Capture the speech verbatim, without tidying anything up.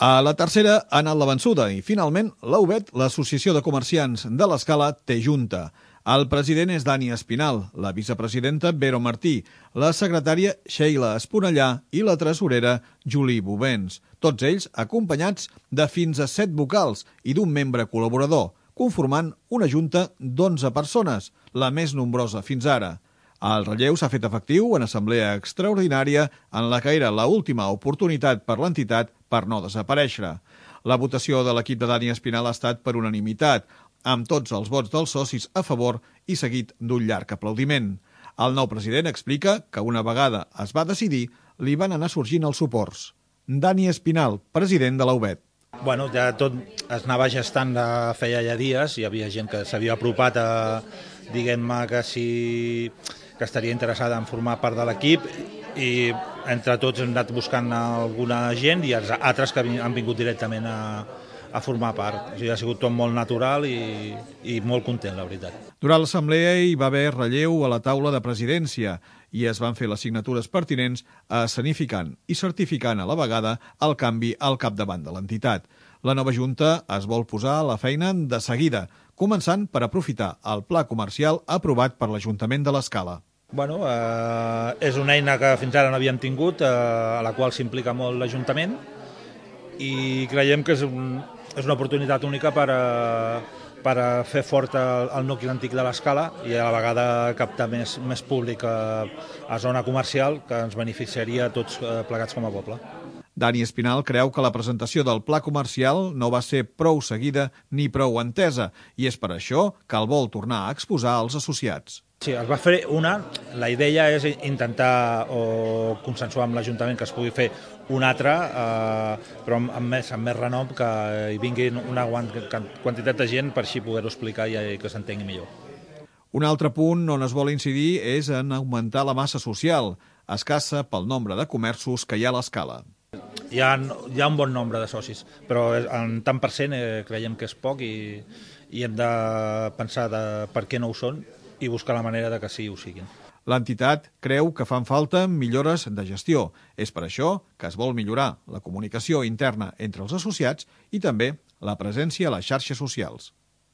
A la tercera ha anat la vençuda i, finalment, l'A U B E T, l'Associació de Comerciants de l'Escala, té junta. El president és Dani Espinal, la vicepresidenta Vero Martí, la secretària Sheila Esponellà i la tresorera Julie Bovens. Tots ells acompanyats de fins a set vocals i d'un membre col·laborador, conformant una junta d'onze persones, la més nombrosa fins ara. El relleu s'ha fet efectiu en assemblea extraordinària en la que era l'última oportunitat per l'entitat per no desaparèixer. La votació de l'equip de Dani Espinal ha estat per unanimitat, amb tots els vots dels socis a favor i seguit d'un llarg aplaudiment. El nou president explica que una vegada es va decidir, li van anar sorgint els suports. Dani Espinal, president de l'A U B E T. Bueno, ja tot es anava gestant de feia ja dies, hi havia gent que s'havia apropat a, diguem-me, que sí que estaria interessada en formar part de l'equip i entre tots hem anat buscant alguna gent i els altres que han vingut directament a, a formar part. O sigui, ha sigut tot molt natural i, i molt content, la veritat. Durant l'assemblea hi va haver relleu a la taula de presidència i es van fer les signatures pertinents escenificant i certificant a la vegada el canvi al capdavant de l'entitat. La nova junta es vol posar a la feina de seguida, començant per aprofitar el pla comercial aprovat per l'Ajuntament de l'Escala. Bueno, eh, és una eina que fins ara no havíem tingut, eh, a la qual s'implica molt l'Ajuntament i creiem que és, un, és una oportunitat única per, a, per a fer fort el, el nucli antic de l'Escala i a la vegada captar més, més públic a, a zona comercial que ens beneficiaria a tots eh, plegats com a poble. Dani Espinal creu que la presentació del pla comercial no va ser prou seguida ni prou entesa i és per això que el vol tornar a exposar als associats. Sí, es va fer una. La idea és intentar o consensuar amb l'Ajuntament que es pugui fer una altra, eh, però amb, amb, més, amb més renom, que hi vingui una quantitat de gent per així poder-ho explicar i que s'entengui millor. Un altre punt on es vol incidir és en augmentar la massa social, escassa pel nombre de comerços que hi ha a l'Escala. Hi ha, hi ha un bon nombre de socis, però en tant per cent eh, creiem que és poc i, i hem de pensar de per què no ho són i buscar la manera de que sí ho siguin. L'entitat creu que fan falta millores de gestió. És per això que es vol millorar la comunicació interna entre els associats i també la presència a les xarxes socials.